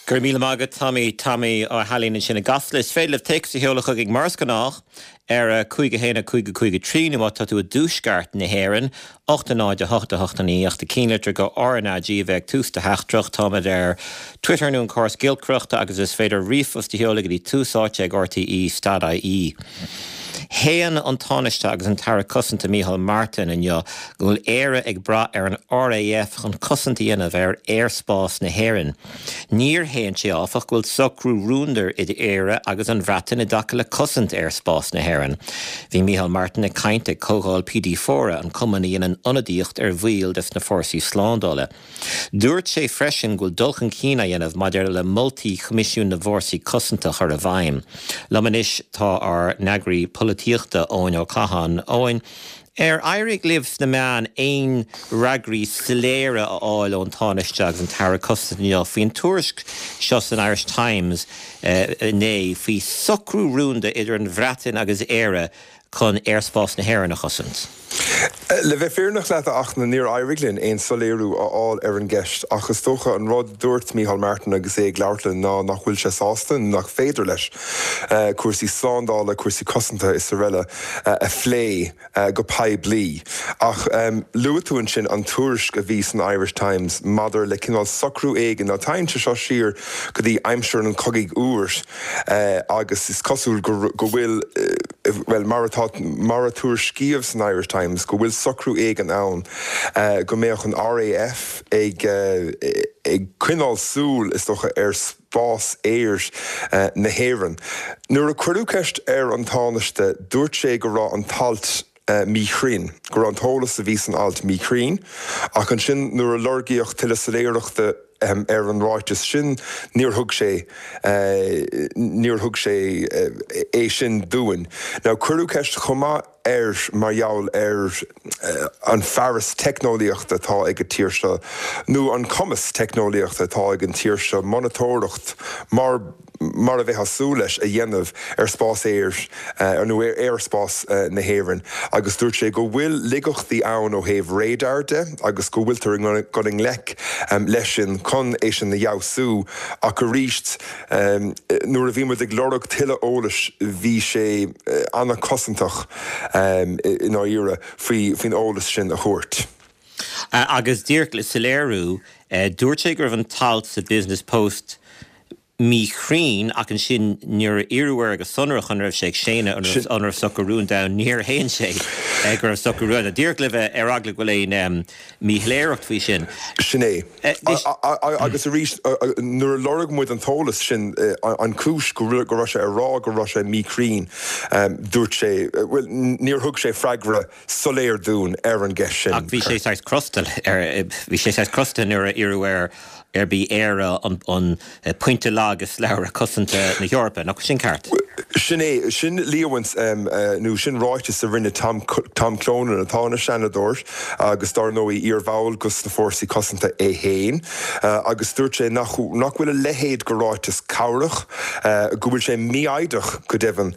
Go raibh míle maith agat Tommy, Tommy Ó hAilín ansin i gCasla. Is féidir libh téacs a sheoladh chugainn mar is gnách ar 5 1 5 5 3 nó má tá tú i dtuaisceart na hÉireann, 8 0 8 8 9 ach do chinnlitir go RnaG a bheith ag tús do theachtaireacht. Táimid ar Twitter nó an córas giolcaireachta agus is féidir ríomhphost a sheoladh go dtí tús áite ag rte stad ie. Shéan an Tánaiste agus an tAire Cosanta Micheál Martin inniu go bhfuil Éire ag brath ar an RAF chun cosaint a dhéanamh ar aerspás na hÉireann. Níor shéan sé, áfach, go bhfuil socrú rúnda idir Éire agus an Bhreatain i dtaca le cosaint aerspás na hÉireann. Bhí Micheál Martin ag caint ag comhdháil PDFORRA, an cumann a dhéanann ionadaíocht ar bhaill des na fórsaí slándála. Dúirt sé freisin go bhfuil dul chun cinn á dhéanamh maidir le moltaí Choimisiún na bhFórsaí Cosanta a chur i bhfeidhm. Liom anois tá ár n-eagraí polaitíochta, Eoin Ó Catháin. Eoin, ar éirigh libh sna meáin aon fhreagraí soiléire a fháil ón Tánaiste agus an tAire Cosanta inniu faoin tuairisc seo san Irish Times inné faoi socrú rúnda idir an Bhreatain agus Éire chun aerspás na hÉireann a chosaint? Le bheith fírinneach leat, a Fhachtna, níor éirigh linn aon soiléiriú a fháil ar an gceist ach is dócha an rud a dúirt Micheál Martin agus é ag labhairt linn ná nach bhfuil sé sásta, nó nach féidir leis, cúrsaí slándála, cúrsaí cosanta is araile a phlé go poiblí. Ach luaigh tú ansin an tuairisc a bhí san Irish Times maidir le cineál socrú éigin. Now téann sé seo siar go dtí aimsir an Chogaidh Fhuair agus is cosúil go bhfuil, bhuel, mar atá, mar a tuairiscíodh san Irish Times, go bhfuil socrú éigin ann go mbeadh an RAF ag ag coinneáil súil, is dócha, ar spás aeir na hÉireann. Nuair a cuireadh ceist ar an Tánaiste, dúirt sé go raibh an t-alt míchruinn, go raibh an t-eolas a bhí san alt míchruinn, ach ansin nuair a lorgaíodh tuilleadh soiléireachta ar an ráiteas sin, níor thug sé, níor thug sé é sin dúinn. Now cuireadh ceist chomh maith air mar gheall ar an fearas teicneolaíochta atá ag an tír seo, nó an cumas teicneolaíochta atá ag an tír seo monatóireacht mar, mar a bheifeá ag súil leis, a dhéanamh ar spás aeir nó ar aerspás na hÉireann agus dúirt sé go bhfuil laigeachtaí ann ó thaobh radar de agus go bhfuiltear ag dul i ngleic leis sin chun é sin a fheabhsú ach arís nuair a bhí muid ag lorg tuilleadh eolais bhí sé an-chosantach i ndáiríre faoin eolas sin a thabhairt. Agus díreach le soiléiriú, dúirt sé go raibh an t-alt sa Business Post míchruinn ach ansin nuair a iarradh air go sonrach an raibh sé ag séanadh an raibh an raibh socrú rúnda ann, níor shéan sé go raibh socrú rúnda ann. Díreach le bheith ar eagla go bhfuil aon mhíshoiléireacht faoi sin. Sin é. Agus arís, nuair a lorg muid an t-eolas sin, an chúis go raibh sé ag rá go raibh sé míchruinn, dúirt sé, bhuel, níor thug sé freagra soiléir dúinn ar an gceist sin. Ach bhí sé saghas crosta ar, bhí sé saghas crosta nuair a iarradh air arb í Éire an pointe lag i slabhra cosanta na hEorpa, nach sin ceart? Sin é, sin líomhaint nó sin ráiteas a rinne Tom, Tom Clonan atá ina Sheanadóir agus dár ndóigh iar-bhall dos na Fórsaí Cosanta é féin agus dúirt sé nach, nach bhfuil a leithéid de ráiteas cabhrach, go bhfuil sé mífhoighdeach go deimhin.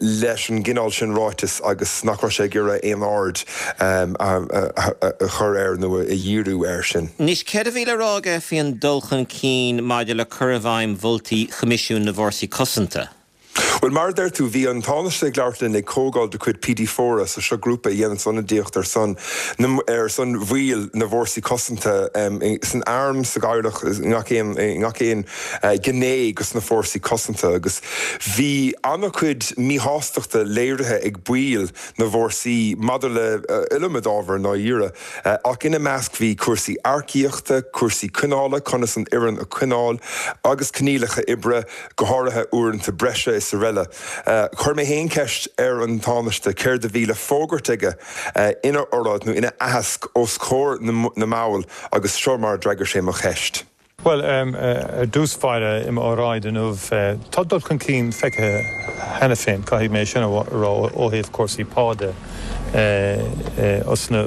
leis an gcineál sin ráiteas agus nach raibh sé ag iarraidh aon aird a chur air nó a dhíriú air sin. Anois, céard a bhí le rá aige faoin dul chun cinn maidir le cur i bhfeidhm mholtaí Choimisiún na bhFórsaí Cosanta? Bhuel, mar a deir tú, bhí an Tánaiste ag labhairt linn ag comhdháil de chuid PDFORRA, so seo grúpa a dhéananns ionadaíocht ar son na, ar son bhaill na bhFórsaí Cosanta san arm, sa gcabhlach, i ngach aon, i ngach aon gné dos na Fórsaí Cosanta agus bhí an-chuid míshástachta léirithe ag baill na bhfórsaí maidir le iliomad ábhar i ndáiríre ach ina measc bhí cúrsaí earcaíochta, cúrsaí coinneála, conas an fhoireann a choinneáil agus coinníollacha oibre, go háirithe uaireanta breise is araile. Chuir mé féin ceist ar an Tánaiste céard a bhí le fógairt aige ina oráid nó ina aitheasc os comhair na mball agus seo mar a d'fhreagair sé mo cheist. Bhuel, ar dtús báire, i m'óráid inniu, tá dul chun cinn feicthe cheana féin, caithfidh mé sin a rá, ó thaobh cúrsaí pá de os na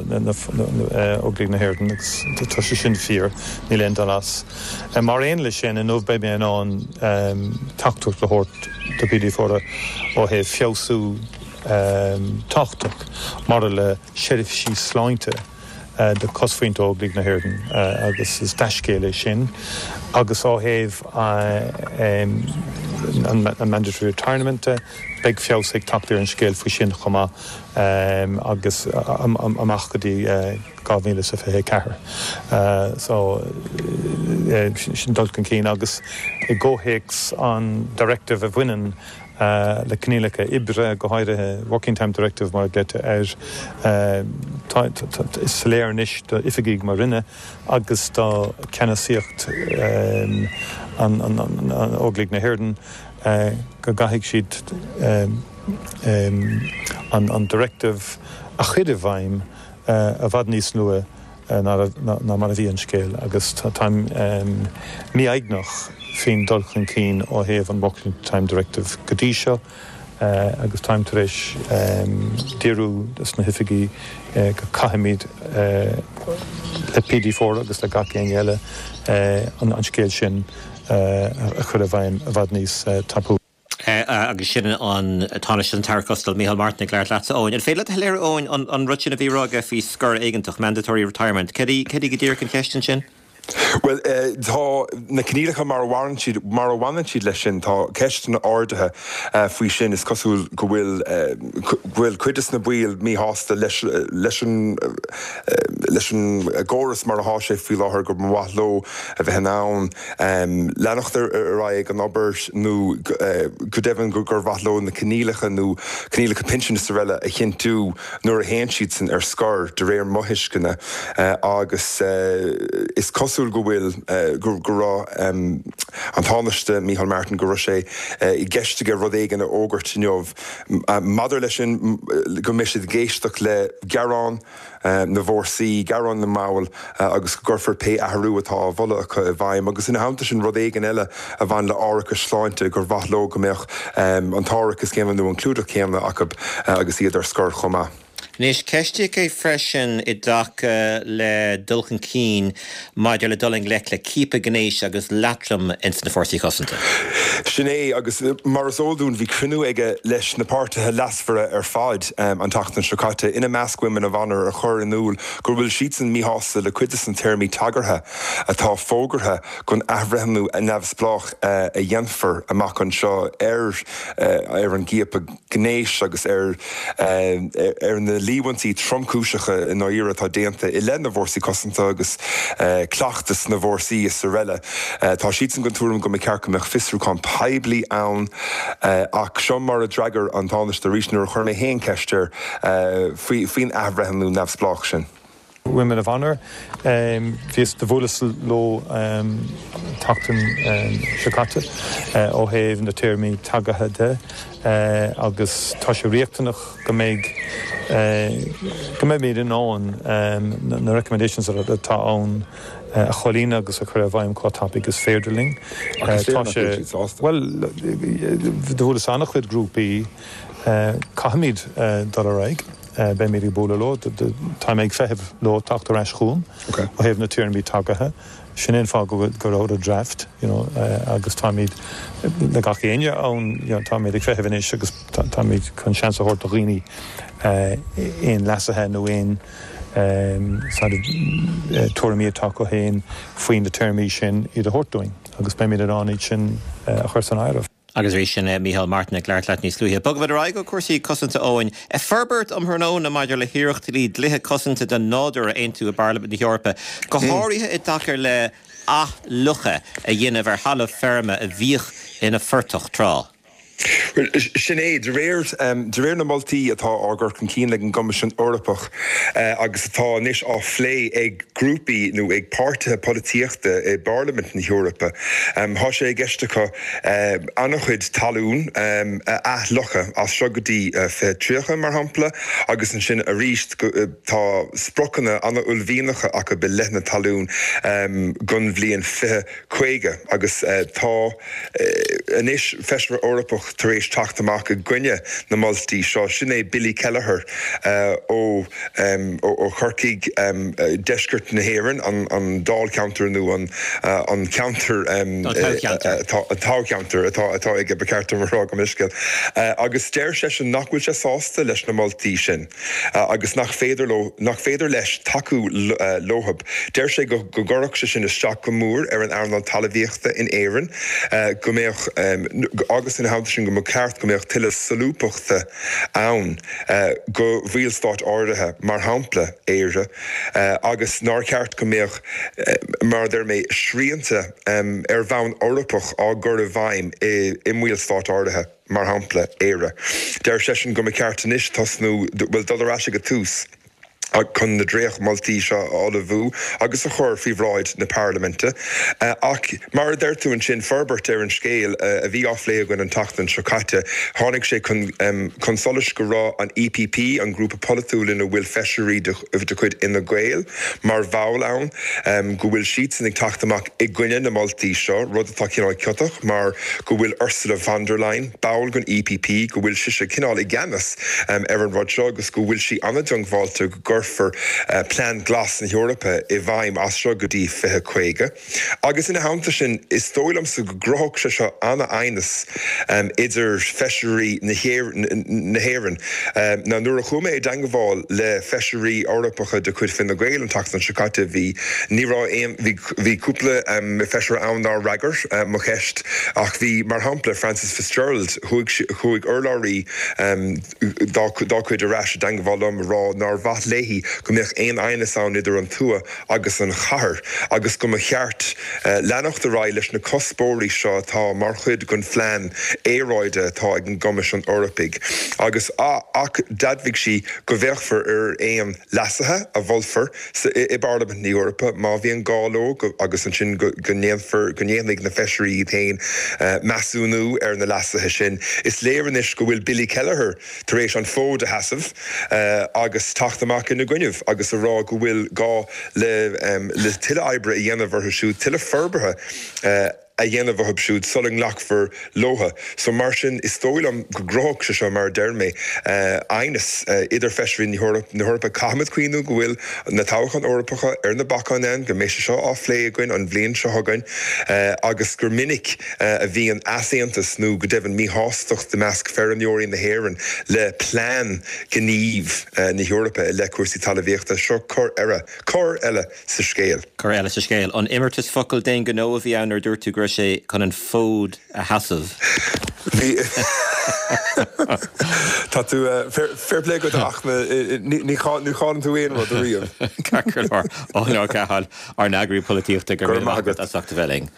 Óglaigh na hÉireann agus tá sé sin fíor, níl aon dul as. Mar aon leis sin, inniu beidh mé in ann teachtaireacht a thabhairt do PDFORRA ó thaobh feabhsú tábhachtach maidir le seirbhísí sláinte. do chosmhuintir Óglaigh na hÉireann agus is dea-scéal é sin agus ó thaobh an mandatory retirement de, beidh feabhas ag teacht ar an scéal faoi sin chomh maith agus amach go dtí 2024. So, sin dul chun cinn agus i gcomhthéacs an directive a bhaineann le coinníollacha oibre, go háirithe Working Time Directive mar a glaoitear air. Tá, is soiléir anois d'oifigigh mo Roinne agus do cheannasaíocht an Óglaigh na hÉireann go gcaithfidh siad an Directive a chur i bhfeidhm i bhfad níos luaithe ná mar a bhí an scéal agus táim mífhoighneach faoin dul chun cinn ó thaobh an Working Time Directive go dtí seo agus táim tar éis díriú dos na hoifigigh go caithfimid le PD4 agus le gach éinne eile an scéal sin a chur i bhfeidhm i bhfad níos tapúla. Agus sin an Tánaiste an tAire Costello, Micheál Martin ag labhairt leatsa, Eoin. An féidir leat a shoiléiriú, Eoin, an rud sin a bhí á rá aige faoi scor éigeantach, mandatory retirement, céard í, céard í go díreach an cheist ansin? Bhuel, tá na coinníollacha mar a bhaineann siad, mar a bhaineann siad leis sin, tá ceisteanna ardaithe faoi sin. Is cosúil go bhfuil, go bhfuil cuid de na baill míshásta leis, leis an, leis an gcóras mar atá sé faoi láthair, go mba mhaith leo a bheith in ann, leanacht ar aghaidh ag an obair nó go deimhin gur mhaith leo na coinníollacha nó coinníollacha pinsin is araile a chinntiú nuair a théann siadsan ar scor, de réir mo thuisceana. Agus is cosúil go bhfuil, go raibh an Tánaiste Micheál Martin, go raibh sé i gceist aige rud éigin a fhógairt inniu maidir leis sin, go mbeidh siad ag éisteacht le gearáin. na bhfórsaí, gearáin na mball agus go gcuirfear pé athrú atá á mholadh acu i bhfeidhm agus ina theannta sin rud éigin eile a bhain le árachas sláinte gur mhaith leo go mbeadh an t-árachas céanna nó an clúdach céanna acu agus iad ar scor chomh maith. Anois, ceistíodh é freisin i dtaca le dul chun cinn maidir le dul i ngleic le ciapadh gnéis agus leatrom ins na Fórsaí Cosanta. Sin é, agus mar is eol dúinn bhí cruinniú aige leis na páirtithe leasmhara ar fad an tseachtain seo caite, ina measc Women of Honour, a chuir in iúl go bhfuil siadsan míshásta le cuid de na téarmaí tagartha atá fógartha don athbhreithniú neamhspleách a dhéanfar amach anseo ar ar an gciapadh gnéis agus ar ar na líomhaintí tromchúiseacha i ndáiríre atá déanta i leith na bhfórsaí cosanta agus cleachtas na bhfórsaí is araile. Tá siadsan den tuairim go mba cheart go mbeadh fiosrúchán poiblí ann ach seo mar a d'fhreagair an Tánaiste arís nuair a chuir mé féin ceist air faoin athbhreithniú neamhspleách sin. Women of Honour. Bhíos, do bhuaileas leo an tseachtain seo caite ó thaobh na téarmaí tagartha de agus tá sé riachtanach go mbeidh, go mbeimid in ann na recommendations atá ann a chomhlíonadh agus a chur i bhfeidhm chomh tapaidh is féidir linn. Tá sé, bhuel, do bhuaileas an-chuid grúpaí, caithfimid dul ar aghaidh. Beimid ag bualadh leo. Táim ag feitheamh leo teacht ar ais chugam ó thaobh na téarmaí tagartha. Sin é an fáth go raibh an draft, you know, agus táimid le gach éinne ann, you know, táimid ag feitheamh anois agus táimid chun seans a thabhairt do dhaoine aon leasuithe nó aon sort of tuairimí atá acu féin faoi na téarmaí sin iad a thabhairt dúinn agus beimid in ann iad sin a chur san áireamh. Agus arís sin é Micheál Martin ag labhairt leat níos luaithe. Bogfaimid ar aghaidh ó chúrsaí cosanta Eoin. Forbairt um thráthnóna maidir le hiarrachtaí dlíthe cosanta don nádúr a aontú i bParlaimint na hEorpa, go háirithe i dtaca le athfhliuchadh a dhéanamh ar thalamh feirme a bhíodh ina phortach tráth. Bhuel, sin é. De réir, de réir na moltaí atá á gcur chun cinn ag an gCoimisiún Eorpach agus atá anois á phlé ag grúpaí nó ag páirtithe polaitíochta i bParlaimint na hEorpa, tá sé i gceist acu an-chuid talún a athfhliuchadh as seo go dtí 2030, mar shampla, agus ansin arís tá spriocanna an-uaillmhianacha acu i leith na talún don bhliain 2050 agus tá anois Feisire Eorpach. Taoiseach tar éis teacht amach i gcoinne na moltaí seo, sin é Billy Kelleher ó ó Chorcaigh, deisceart na hÉireann, an dáilcheantar nó an ceantar, an toghcheantar atá aige, ba cheart dom a rá, gabh mo leithscéal. Agus deir seisean nach bhfuil sé sásta leis na moltaí sin agus nach féidir leo, nach féidir leis tacú leothab. Deir sé go gcuirfeadh sé sin isteach go mór ar an earnáil talmhaíochta in Éirinn, go mbeadh, agus ina theannta sin go mba cheart go mbeadh tuilleadh solúbthachta ann do bhallstáit áirithe, mar shampla Éire, agus nár cheart go mbeadh, mar a deir mé, srianta ar bhonn Eorpach á gcur i bhfeidhm i mballstáit áirithe, mar shampla Éire. Deir seisean go mba cheart anois tosnú, bhuel, dul ar ais ag an tús. chun na dréachtmholtaí seo a ullmhú agus a chur faoi bhráid na Parlaiminte. Ach mar a deir tú ansin, forbairt ar an scéal a bhí á phlé againn an tseachtain seo caite, tháinig sé chun solais go raibh an EPP, an grúpa polaitiúil ina bhfuil feisirí de chuid Fhine Gael mar bhall ann, go bhfuil siadsan ag teacht amach i gcoinne na moltaí seo, rud atá cineál ciotach mar go bhfuil Ursula von der Leyen, ball den EPP, go bhfuil sise cineál i gceannas ar an rud seo agus go bhfuil sí an-diongbháilte go gcuirfear Plean Glas na hEorpa i bhfeidhm as seo go dtí 2050. Agus ina theannta sin, is dóigh liomsa go gcruthódh sé seo an-aighneas idir feisirí na hÉireann. Now nuair a chuaigh mé i dteangmháil le feisirí Eorpacha de chuid Fine Gael an tseachtain seo caite, bhí, ní raibh aon, bhí, bhí cúpla feisire ann nár fhreagair mo cheist ach bhí, mar shampla, Frances Fitzgerald, chuaigh, chuaigh urlabhraí dá, dá cuid ar ais i dteangmháil liom a rá nár mhaith léi go mbeadh aon aighneas ann idir an tuath agus an chathair agus go mba cheart leanacht ar aghaidh leis na cuspóirí seo atá mar chuid den phlean aeráide atá ag an gCoimisiún Eorpaigh agus ach d'admhaigh sí go bhféachfar ar aon leasuithe a mholfar i bParlaimint na hEorpa má bhíonn gá leo agus ansin go ndéanfar, go ndéanfaidh na feisirí iad féin measúnú ar na leasuithe sin. Is léir anois go bhfuil Billy Kelleher tar éis an fód a sheasamh agus teacht amach ina gcoinnibh agus a rá go bhfuil gá le le tuilleadh oibre a dhéanamh orthu siúd, tuilleadh forbartha a dhéanamh orthu siúd sula nglacfar leothu. So mar sin, is dóigh liom go gcruthódh sé seo, mar a deir mé, aighneas idir feisirí na hEorpa. Caithfimid cuimhniú go bhfuil na toghcháin Eorpacha ar na bacáin ann, go mbeidh sé seo á phlé againn an bhliain seo chugainn agus gur minic a bhíonn easaontas nó go deimhin míshástacht i measc feirmeoirí na hÉireann le plean gnímh na hEorpa i leith cúrsaí talmhaíochta. Seo cor eile, cor eile sa scéal. Cor eile sa scéal. An imeartas focal d'aon ghnó a bhí ann nuair a dúirt tú go raibh sé chun an fód a sheasamh? Bhí. Tá tú, fair play duit ach ní chailleann tú aon rud ariamh. Ceart go leor. Eoin Ó Catháin, ár n-eagraí polaitíochta, go raibh míle maith agat as ucht a bheith linn.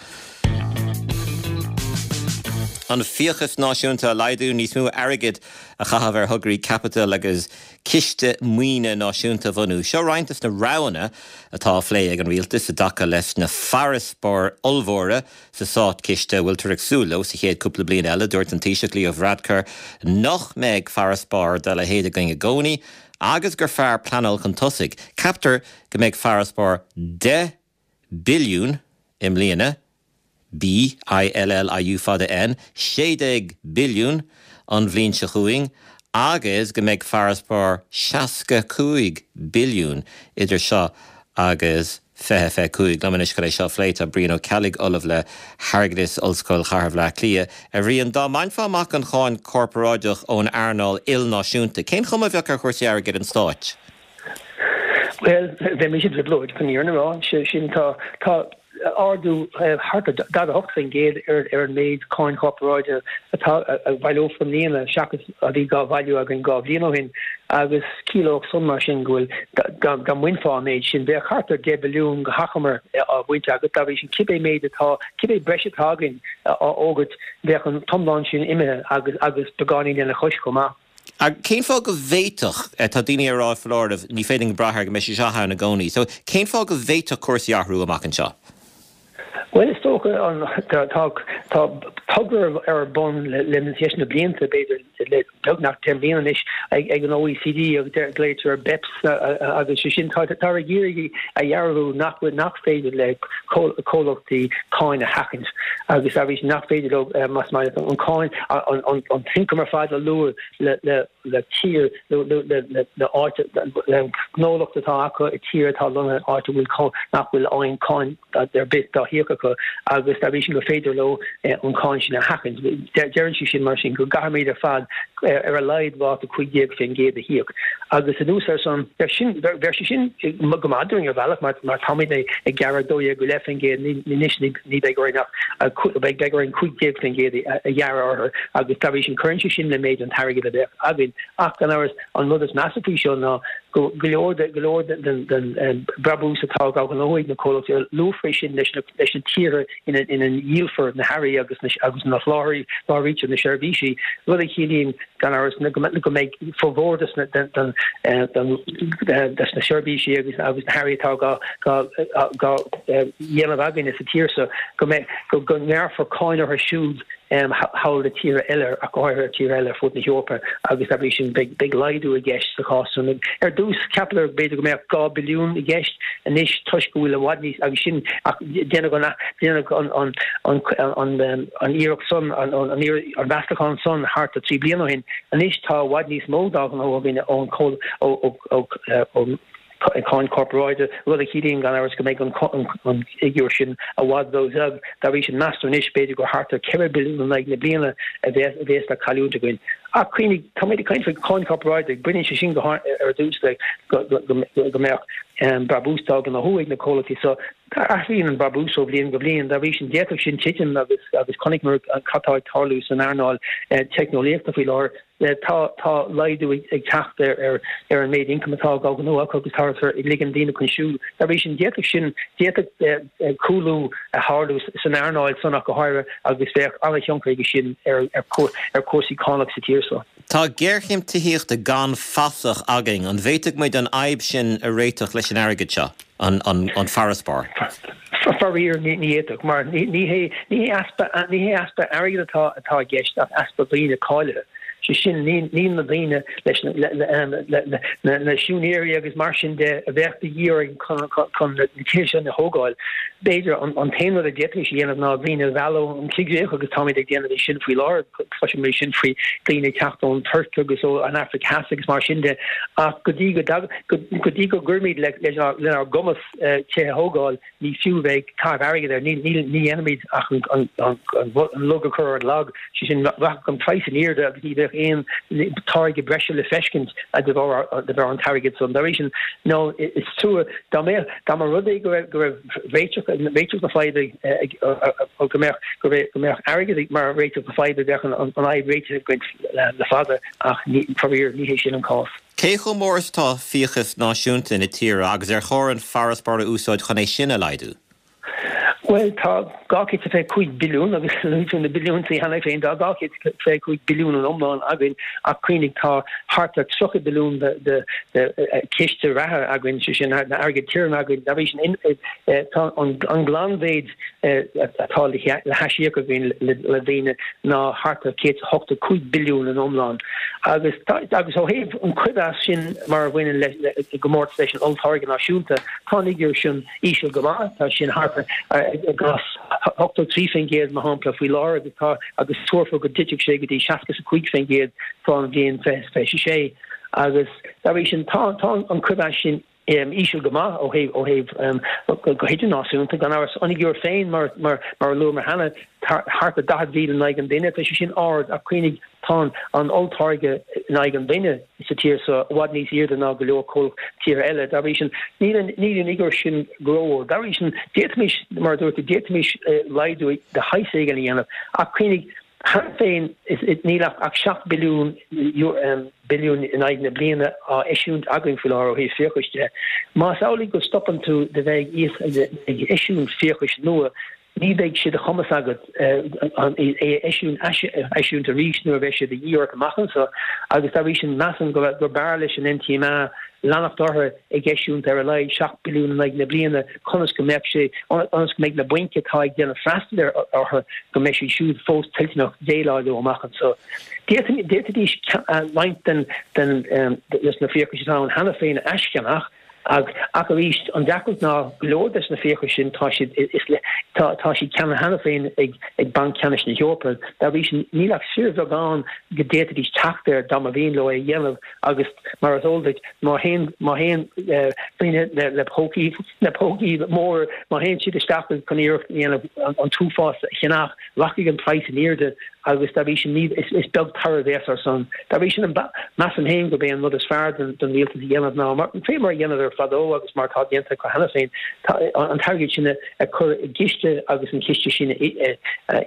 An fiachas náisiúnta a laghdú, níos mó airgid a chaitheamh ar thograí caipitil agus ciste maoine náisiúnta a bhunú. Seo roinnt de na roghanna atá á phlé ag an rialtas i dtaca leis na farasbairr ollmhóra sa státchiste a bhfuiltear ag súil leo sa chéad cúpla bliain eile. Dúirt an Taoiseach Leo Varadkar nach mbeidh farasbarr dá leithéid againn i gcónaí agus gur fearr pleanáil chun tosaigh. Ceaptar go mbeidh farasbarr 10 billiún i mbliana, B, I, L, L, I, U fada N, 16 billiún an bhliain seo chugainn agus go mbeidh farasbarr 65 billiún idir seo agus 2025. Liom anois chun é seo a phlé tá Brian Ó Ceallaigh, Ollamh le hAirgeadas, Ollscoil Chathair Bhaile Átha Cliath. A Bhriain, dá mbainfeá amach an cháin chorparáideach ón earnáil ilnáisiúnta, cén chuma a bheadh ar chúrsaí airgid an stáit? Bhuel, bheadh mise i dtrioblóid, chun an fhírinne a rá. Sé sin, tá, tá ardú thart ar 48% ar ar an méid cáin chorparáide atá a bhaileofar i mbliana seachas a bhí dhá bhailiú againn 2 bhliain ó shin agus ciallódh san mar sin go bhfuil dá dá mbainfeá an méid sin bheadh thart ar 10 billiún go hachomair á bhaint agat. Dá bhrí sin cibé méid atá, cibé breis atá againn á fhógairt bheadh an t-iomlán sin imithe agus agus beagáinín lena chois chomh maith. Ach cén fáth go bhféadfadh, tá daoine ag rá foláireamh, ní féidir linn brath air go mbeidh sé seo ann i gcónaí. So cén fáth go bhféadfadh cúrsaí athrú amach anseo? Bhuel, is dócha an, tá, tá togra ar bun le, leis na blianta, b'fhéidir. le beagnach 10 mbliana anois ag an OECD agus glaoitear air BEPS agus sé sin táthar ag iarraidh a dhearbhú nach bhfuil nach féidir le comhlachtaí cáin a sheachaint agus arís nach féidir leo más maith an cáin an t-ioncam ar fad a lua le le tír nó le áit le gnólacht atá acu i tír atá lonnaithe áit a bhfuil nach bhfuil aon cáin ar bith dá híoc acu agus dá bhrí sin gur féidir leo an cáin sin a sheachaint. Deireann sé sin mar sin go gcaithfimid ar fad ar a laghad ráta 15% a híoc. Agus anuas ar san, bheadh sé sin go maith dúinn ar bhealach mar táimid ag gearradh 12.5% anois ní bheidh orainn ach beidh orainn 15% a ghearradh orthu agus dá bhrí sin cuireann sé sin le méid an t-airgead a bheadh againn. Ach gan amhras, an rud is measa faoi seo ná go go leor de go leor den den brabús atá á ghnóthú ag na comhlachtaí, luafar é sin leis na leis na tíortha ina ina ndíolfar na hearraí agus na agus ina sholáthraítear na seirbhísí, rud a chiallaíonn gan amhras go go mbeidh formhór des na den den den des na seirbhísí agus agus na hearraí atá á á á dhéanamh againne sa tír seo go mbeidh go go ngearrfar cáin orthu siúd thall i tíortha eile, ach go háirithe tíortha eile ar fud na hEorpa agus dá bhrí sin beidh laghdú i gceist sa chás san. Ar dtús, cheapadar b'fhéidir go mbeadh 2 billiún i gceist, anois toisc go bhfuil i bhfad níos, agus sin ach déanadh an déanadh an an an an iarracht san, an an an mheastachán san thart ar 3 bliana ó shin. Anois tá i bhfad níos mó dá ghnóthú againn ón ó ó ó cáin chorparáide, rud a chiallaíonn gan amhras go mbeidh an fhigiúr sin i bhfad ró-bheag. Dá bhrí sin, meastar anois, b'fhéidir gur thart ar 4 billiún in aghaidh na bliana a bheas le cailliúint againn. Ach cuimhnigh, táimid ag caint faoi cháin chorparáide, baineann sé sin go ar dtús le go mbeadh brabús dá ghnóthú ag na comhlachtaí so. Athraíonn an brabús ó bhliain go bliain, dá bhrí sin d'fhéadfadh sin titim agus chonaiceamar cad tá ag tarlú san earnáil teicneolaíochta faoi láthair. Tá tá laghdú ag teacht ar ar an méid ioncaim atá á ghnóthú acu agus táthar ag ligean daoine chun siúil. Dá bhrí sin, d'fhéadfadh sin, d'fhéadfadh cúlú a tharlú san earnáil san ach go háirithe agus bheadh an-thionchar aige sin ar ar chúrsaí cánach sa tír seo. Tá géarchéim tithíochta gan fasach againn. An bhféadfadh muid an fhadhb sin a réiteach leis an airgead seo, an farasbarr? Faraor, ní fhéadfadh, mar ní hé ní hé easpa ní hé easpa airgid atá atá i gceist ach easpa daoine cáilithe. Sé sin, níl na daoine leis na na siúinéirí agus mar sin de a bheadh de dhíth orainn chun chun na tithe sin a thógáil. B'fhéidir an an t-aon rud a d'fhéadfaimis a dhéanamh ná daoine a mhealladh ón choigríoch agus táimid ag déanamh é sin faoi láthair, cloisimid é sin faoi daoine ag teacht ón Tuirc agus ó an Afraic Theas agus mar sin de ach go dtí go go dtí go gcuirimid le lenár gcumas tithe a thógáil, ní fiú bheith ag caitheamh airgid air, ní dhéanfaimid ach an lug a chur ar an lag, sé sin, rachadh an praghas in airde agus ní bheadh aon táirge breise le feiscint de bharr an t-airgead san. Dá bhrí sin, nó is trua, dá mbeadh, dá mba rud é go raibh, go raibh réiteach, réiteach na faidhbe go mbeadh, go mbeadh airgead mar réiteach na faidhbe, bheadh an fhadhb réitithe againn le fada ach faraor ní hé sin an cás. Cé chomh mór is atá fiachas náisiúnta na tíre agus ar chóir an farasbarr a úsáid chun é sin a laghdú? Bhuel, tá 225 billiún, agus luaigh tú na billiúntaí cheana féin, tá 225 billiún in iomlán againn ach cuimhnigh tá thart ar 30 billiún de chiste reatha againn, sé sin airgead tirim againn. Dá bhrí sin, tá an glanmhéid atá le haisíoc againn le daoine ná thart ar 185 billiún in iomlán. Agus agus ó thaobh an coibhneas sin mar a bhaineann le i gcomórtas leis an olltáirge náisiúnta, tá an fhigiúr sin íseal go maith, tá sin thart ar i gcás 83% mar shampla faoi láthair agus tá agus tuarfar go dtitfidh sé go dtí 65% fán bhliain 2026. Agus dá bhrí sin tá tá an coibhneas sin íseal go maith ó thaobh, ó thaobh, go hidirnáisiúnta, gan amhras. An fhigiúr féin, mar, mar, mar a luamar cheana, thart ar 40,000 in aghaidh an duine, tá sé sin ard ach cuimhnigh, tá an olltáirge in aghaidh an duine sa tír seo i bhfad níos airde ná go leor tíortha eile. Dá bhrí sin, níl an, níl an fhigiúr sin go róard. Dá bhrí sin, d'fhéadfaimis, mar a dúirt tú, d'fhéadfaimis laghdú de shaghas éigin a dhéanamh ach cuimhnigh, Cheana féin, níl ach 7 billiún billiún in aghaidh na bliana á eisiúint againn faoi láthair ó thaobh fiachais de. Más amhlaidh go stopann tú de bheith ag eisiúint fiachais nua, ní bheidh sé de chumas agat é a eisiúint arís nuair a bheidh sé de dhíth ort amach anseo agus dá bhrí sin measaim gur b'fhearr leis an NTMA. leanacht orthu ag eisiúint ar a laghad 7 billiún in aghaidh na bliana conas go mbeadh sé, ionas go mbeidh na bainc atá ag déanamh freastal orthu, go mbeidh siad siúd fós toilteanach déileáil leo amach anseo. D'fhéadfaidís roinnt den, den, des na fiachais atá ann cheana féin a aischeannach ach, ach arís, an deacracht ná go leor des na fiachais sin tá siad, is le, tá, tá siad ceannaithe cheana féin ag, ag Banc Ceannais na hEorpa. Dá bhrí sin, níl ach fíorbheagán go d'fhéadfaidís teacht air dá mba mhian leo é a dhéanamh agus mar is eol duit, má théann, má théann daoine le, le pócaí, le pócaí móra, má théann siad isteach chun iarracht a dhéanamh an, an t-uafás a cheannach, rachaidh an praghas in airde agus dá bhrí sin ní, is beag toradh a bheas air san. Dá bhrí sin, measaim féin gurb é an rud is fearr don rialtas a dhéanamh ná, mar, fé mar a dheineadar fadó agus mar atá déanta acu cheana féin, an t-airgead sin a chur i gciste agus an ciste sin a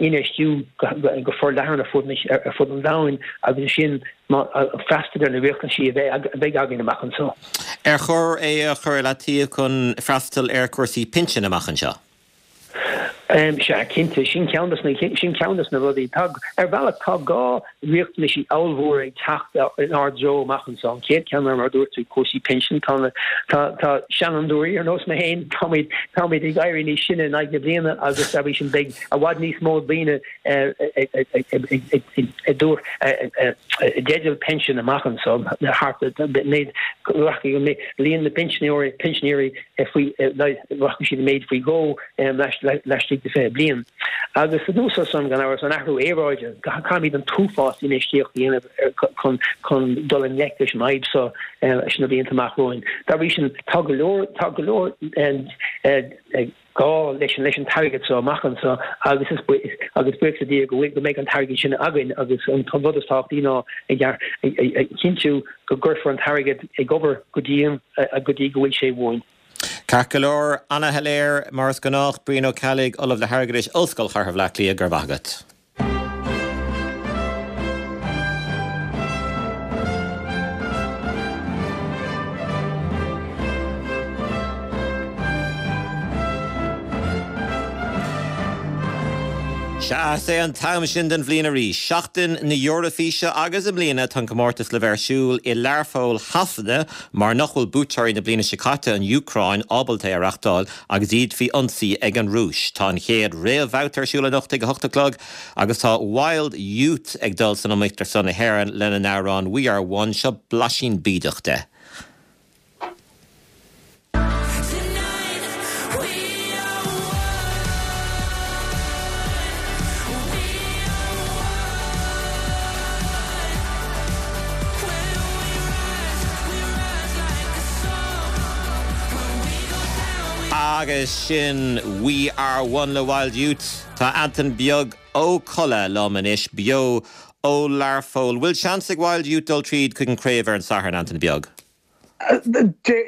infheistiú go forleathan ar fud, ar fud an domhain agus ansin freastal ar na riachtanaisí a bheidh againn amach anseo. Ar chóir é a chur i leataobh chun freastal ar chúrsaí pinsin amach anseo? Sea, cinnte, sin ceann de na, sin ceann de na rudaí. Tá, ar bhealach, tá gá riachtanaisí ollmhóra ag teacht inár dtreo amach anseo. An chéad cheann ná, mar a dúirt tú, cúrsaí pinsin. Tá na, tá, tá seanfhondúirí ar nós mé féin, táimid, táimid ag éirí níos sine in aghaidh na bliana agus dá bhrí sin beidh i bhfad níos mó daoine i dteideal pinsin amach anseo, thart ar méid, rachaidh an líon na bpinsinéirí, pinsinéirí faoi, rachaidh siad i méid faoi dhó laistigh de 20 bliain. Agus anuas air san, gan amhras, an athrú aeráide, caithfimid an t-uafás infheistíocht a dhéanamh chun chun dul i ngleic leis an fhadhb seo sna blianta amach romhainn. Dá bhrí sin, tá go leor, tá go leor gá leis an leis an t-airgead seo amach anseo agus is agus buíochas le Dia go bhfuil go mbeidh an t-airgead sin againn agus an rud is tábhachtaí ná a chinntiú go gcuirfear an t-airgead ag obair go dian go dtí go bhfuil sé uainn. Ceart go leor, ana-shoiléir mar is gnách, Brian Ó Ceallaigh, Ollamh le hAirgeadais, Ollscoil Chathair Bhaile Átha Cliath, go raibh maith agat. Sea, is é an t-am sin den bhliain arís, Seachtain na hEoraifíse agus i mbliana tá an comórtas le bheith ar siúl i Learpholl Shasana mar nach bhfuil buaiteoirí na bliana seo caite, an Úcráin, ábalta é a reachtáil agus iad faoi ionsaí ag an Rúis. Tá an chéad réamhbhabhta ar siúl anocht ag a hocht a chlog agus tá Wild Youth ag dul san iomaíocht ar son na hÉireann lena n-amhrán We Are One. Seo blaisín bídeach de. Agus sin We Are One le Wild Youth. Tá Antain Beag Ó Colla liom anois, beo ó Learpholl. Bhfuil seans ag Wild Youth dul tríd chuig an craobh ar an Satharn, Antain Beag?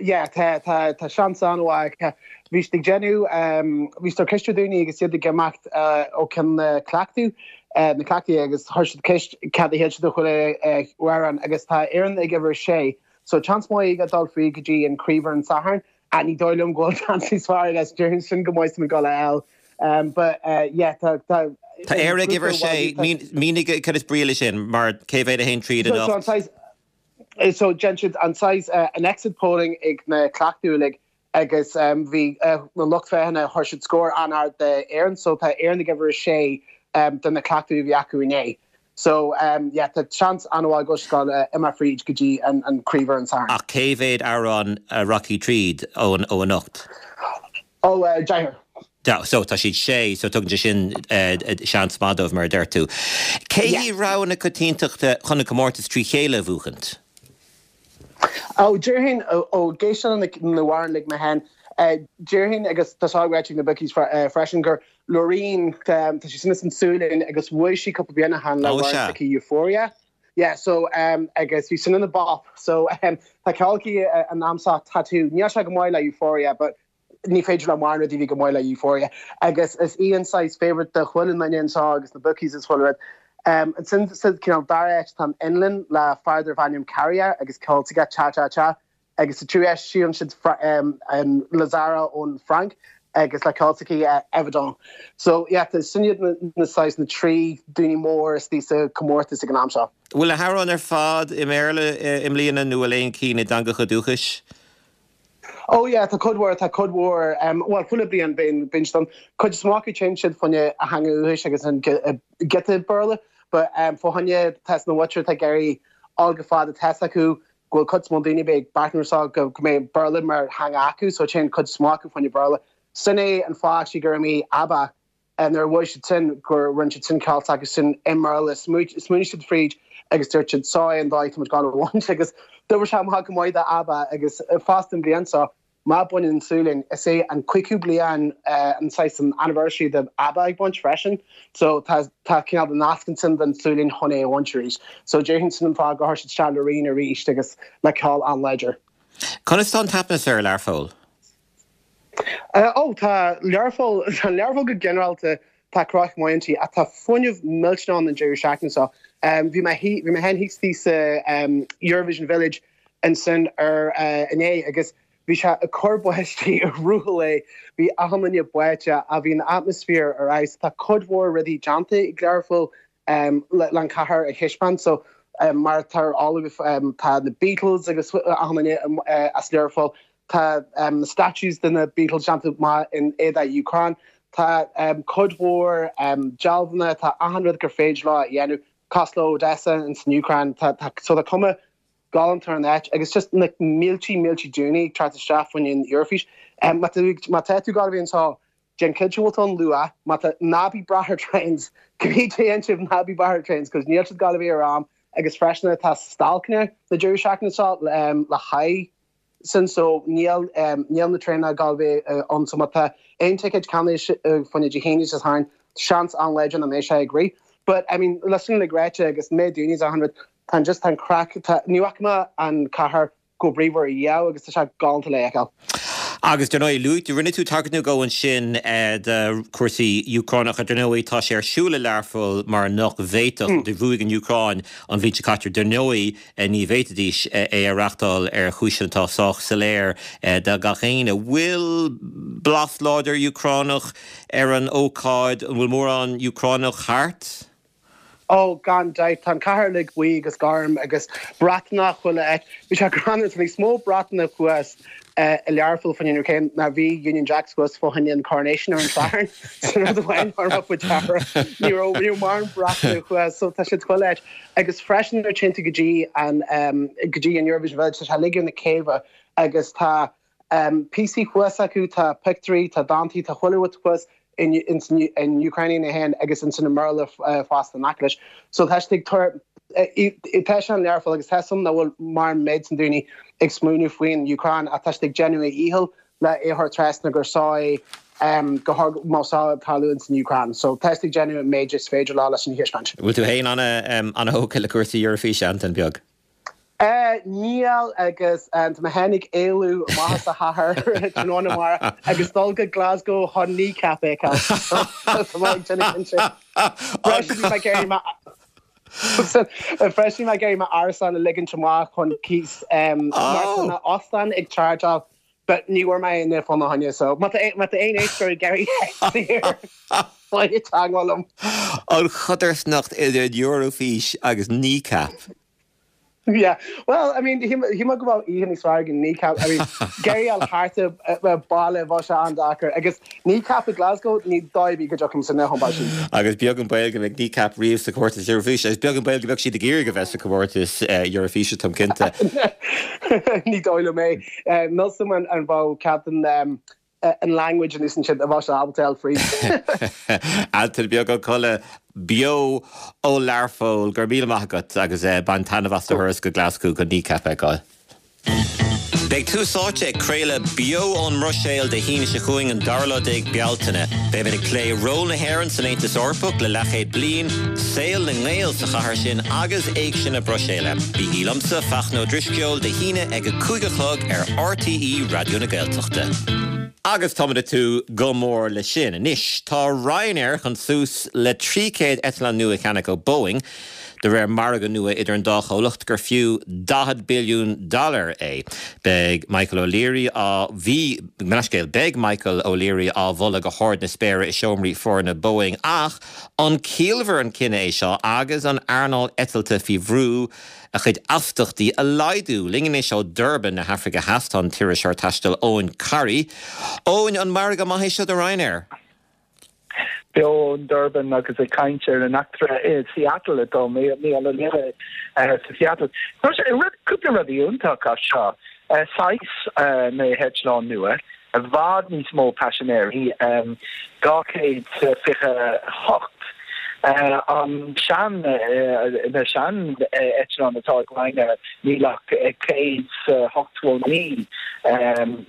Yeah, tá, tá, tá seans an-mhaith acu. Bhí siad ag déanamh, bhí siad ag ceistiú daoine agus iad ag imeacht ó ceann na cleachtadh, na cleachtaí agus chuir siad ceist cad a shíl siad de chuile amhrán agus tá Éireann ag uimhir a sé. So seans maith aige dul fríd go dtí an craobh ar an Satharn ach ní dóigh liom go bhfuil seans níos fearr aige déarfainn sin go mbeidh muid ag dul a fháil. But yeah, tá, tá Tá Éire ag uimhir a sé, mínigh cad is brí leis sin, mar cé mhéad a théann tríd anocht? So déan siad an saghas an exit polling ag na cleachtaí uilig agus bhí na lucht féachana chuir siad scór an-ard d'Éirinn so tá Éirinn ag uimhir a sé do na cleachtaí a bhí acu inné. So yeah tá seans an-mhaith go bhfuil ag imeacht fríd go dtí an craobh ar an Satharn. Ach cé mhéad amhrán a rachaidh tríd ó anocht? Ó, deichniúr. So, tá siad sé, so tugann sé sin seans maith dóibh, mar a deir tú. Cé hí rogha na coitiantachta chun an comórtas trí chéile a bhuachaint? Ó, déarfainn, ó ag éisteacht leis na hamhráin uilig mé féin, déarfainn, agus tá sé ráite ag na bookies freisin, gur Loreen, tá sí sin as an tSualainn agus bhuaigh sí cúpla bliain ó shin le amhrán s'aici Euphoria. Yeah, so, agus bhí sin ina bop. So, tá ceol aici an am seo, Tattoo. Níl sé go maith le Euphoria, but ní féidir le mórán rudaí a bheith go maith le Euphoria. Agus is í an saghas favourite do chuile dhuine anseo agus na bookies is chuile rud. Ansin sa cineál dara háit tá an Fhionlainn le fear darbh ainm Käärijä agus ceol s'aige Cha Cha Cha. Agus sa tríú háit síleann siad an La Zarra ón Fhrainc. agus le ceol s'aici Evidon. So yeah, sin iad na saghas na 3 daoine mór istigh sa comórtas ag an am seo. Bhfuil na hamhráin ar fad i mBéarla i mbliana nó bhfuil aon cinn i dteangacha dúchais? Oh yeah, tá cuid mhór, tá cuid mhór, bhuel chuile bliain bíonn, bíonn siad ann. Cuid is mó acu téann siad fá choinne a theanga dhúchais agus an giota Béarla, but fá choinne tá na mhuintir atá ag iarraidh dul go fada tá 'fhios acu go bhfuil cuid is mó daoine a bheidh ag breathnú air seo go mbeidh Béarla mar theanga acu so téann cuid is mó acu fá choinne Béarla. Sin é an fáth actually gur imigh ABBA nuair a bhuaigh siad sin gur rinne siad sin ceol s'acu sin i mBéarla. Smaoinigh siad fríd agus dúirt siad seo é an dóigh tá muid gabháil a bhaint agus d'oibrigh sé amach go maith do ABBA agus fosta an bhliain seo má bhaineann an tSualainn, is é an 50ú bliain an saghas an anniversary de ABBA ag baint freisin so tá tá cineál de nasc ansin don tSualainn chun é a bhaint arís. So déarfainn sin an fáth gur chuir siad isteach Loreen arís agus le ceol an-láidir. Conas tá an t-atmaisféar i Learpholl? Ó tá Learpholl, tá Learpholl go ginearálta, tá craic maith inti ach tá fuinneamh millteanach ann an deireadh seachtaine seo. Bhí mé bhí mé féin thíos thíos sa Eurovision Village ansin ar inné agus bhí sé ag cur báistí i rith an lae, bhí achan duine báite ach bhí an atmaisféar ar fheabhas. Tá cuid mhór rudaí déanta ag Learpholl le an cathair a thaispeáint so mar atá ar eolas agaibh tá na Beatles agus achan duine as Learpholl, tá na statues de na Beatles déanta amach in éadach Úcráin, tá cuid mhór dealbhanna, tá achan rud gur féidir leo a dhéanamh cosúil le Odessa ins an Úcráin, tá so tá cuma galánta ar an áit agus just na míltí míltí daoine ag teacht isteach fá choinne an Eoraifís. Má tá tú ag gabháil a bheith anseo, déan cinnte go bhfuil tú ann luath, má tá, ná bí ag brath ar trains, cibé déan sibh ná bí ag brath ar trains cos níl siad ag gabháil a bheith ar am agus freisin tá stailceanna na deireadh seachtaine seo le haghaidh sin so níl níl na traenacha ag gabháil a bheith ann so má tá aon ticéid ceannaithe fá choinne Dé hAoine Dé Sathairn seans an-láidir nach mbeidh sé ag rith. But I mean le sin uilig ráite agus méid daoine is achan rud tá an just tá an craic tá ní fhaca mé an cathair chomh bríomhar riamh agus tá sé galánta le fheiceáil. Agus dar ndóigh, luaigh, rinne tú tagairt nó dhó ansin do chúrsaí Úcránacha. Dar ndóigh, tá sé ar siúl i Learpholl mar nach bhféadfadh, do bhuaigh an Úcráin an bhliain seo caite, dar ndóigh, ní bhféadfaidís é a reachtáil ar chúiseanna atá sách soiléir do gach éinne. Bhfuil blas láidir Úcránach ar an ócáid? An bhfuil mórán Úcránach thart? Ó, gan dabht, tá an cathair uilig buí agus gorm agus bratanna chuile áit. Bhí sé greannmhar, tá níos mó bratanna thuas i Learpholl fá choinne an Úcráin ná bhí Union Jacks thuas fá choinne an Coronation ar an Satharn. Sin rud amháin a raibh faoi deara. Ní raibh, ní raibh mórán bratanna thuas, so tá siad chuile áit. Agus freisin nuair a téann tú go dtí an, go dtí an Eurovision Village, tá sé uilig ar na céibhe agus tá píosaí thuas acu, tá pictiúirí, tá dántaí, tá chuile rud thuas in in Ukrainian é féin agus ins an mBéarla fosta in aice leis. So tá siad ag tabhairt, tá sé in Learpholl agus tá 'fhios a'm nach bhfuil mórán méid san daoine ag smaoineamh faoin Úcráin ach tá siad ag déanamh a dhícheall le é a thabhairt trasna gur seo é go má seo ag tarlú ins an Úcráin. So tá siad ag déanamh an méid is féidir leo leis an thaispeáint. Bhfuil tú féin ana-thógtha le cúrsaí Eurofíse, Antain Beag? Níl agus tá mé féin ag éalú amach as an chathair tráthnóna amárach agus dul go Glasgow chun Kneecap a fheiceáil. Tá mé ag déanamh cinnte. Freisin bhí mé ag iarraidh freisin bhí mé ag iarraidh m'árasán a ligint amach chun cíos mar tá na óstáin ag chargeáil but ní bhfuair mé aon fá choinne so má tá má tá aon éisteoir ag iarraidh faigh teagmháil liom. An chodarsnacht idir an Eurofís agus Kneecap. Yeah, well, I mean, shíl mé go bhfuil oíche níos fearr ag Kneecap. I mean, ag iarraidh a fháil thart i baile bheadh sé an-deacair. Agus Kneecap i Glasgow, ní dóigh ar bith go dtiocfainn san chun báistí. Agus beag an baol go mbeidh Kneecap riamh sa chomórtas Eurofíse, agus beag an baol go mbeadh siad ag iarraidh a bheith sa chomórtas Eurofíse, táim cinnte. Ní dóigh liom é. Níl 'fhios a'm an bhfuil cead den an language a úsáideann siad a bheadh sé ábalta a fháil fríd. Antain Beag Ó Colla, beo ó Learpholl, go raibh míle maith agat agus bain taitneamh as do thuras go Glaschú chun Kneecap a fheiceáil. Beidh Tús Áite ag craoladh beo ón mBruiséil Dé hAoine seo chugainn, an dara lá déag Bealtaine. Beimid ag plé ról na hÉireann san Aontas Eorpach le leathchéad bliain, saol na nGael sa chathair sin agus Éigse na Bruiséile. Bígí liomsa, Fachtna Ó Drisceoil, Dé hAoine ag a 5 a chlog ar RTÉ Raidió na Gaeltachta. Agus táimid ag tnúth go mór leis sin. Anois, tá Ryanair chun suas le 300 eitleán nua a cheannach ó Boeing. de réir margadh nua idir an dá chomhlacht gur fiú 40 billiún dollar é. Beidh Michael O'Leary á, bhí, mo leithscéal, beidh Michael O'Leary á mholadh go hard na spéire i seomraí foirne Boeing ach an ciallmhar an cinneadh é seo agus an earnáil eitilte faoi bhrú a chuid astachtaí a laghdú? Linn anois ó Durban na hAfraice Theas tá an t-iriseoir taistil Eoin Corry. Eoin, an margadh maith é seo do Ryanair? Beo in Durban agus ag caint ar an eachtra i Seattle atá Mícheál Ó Laoire sa Seattle. Tá sé rud cúpla rud iontach as seo. Saghas na heitleáin nua, i bhfad níos mó paisinéirí, 228. An sean na sean eitleáin atá ag Ryanair níl ach 189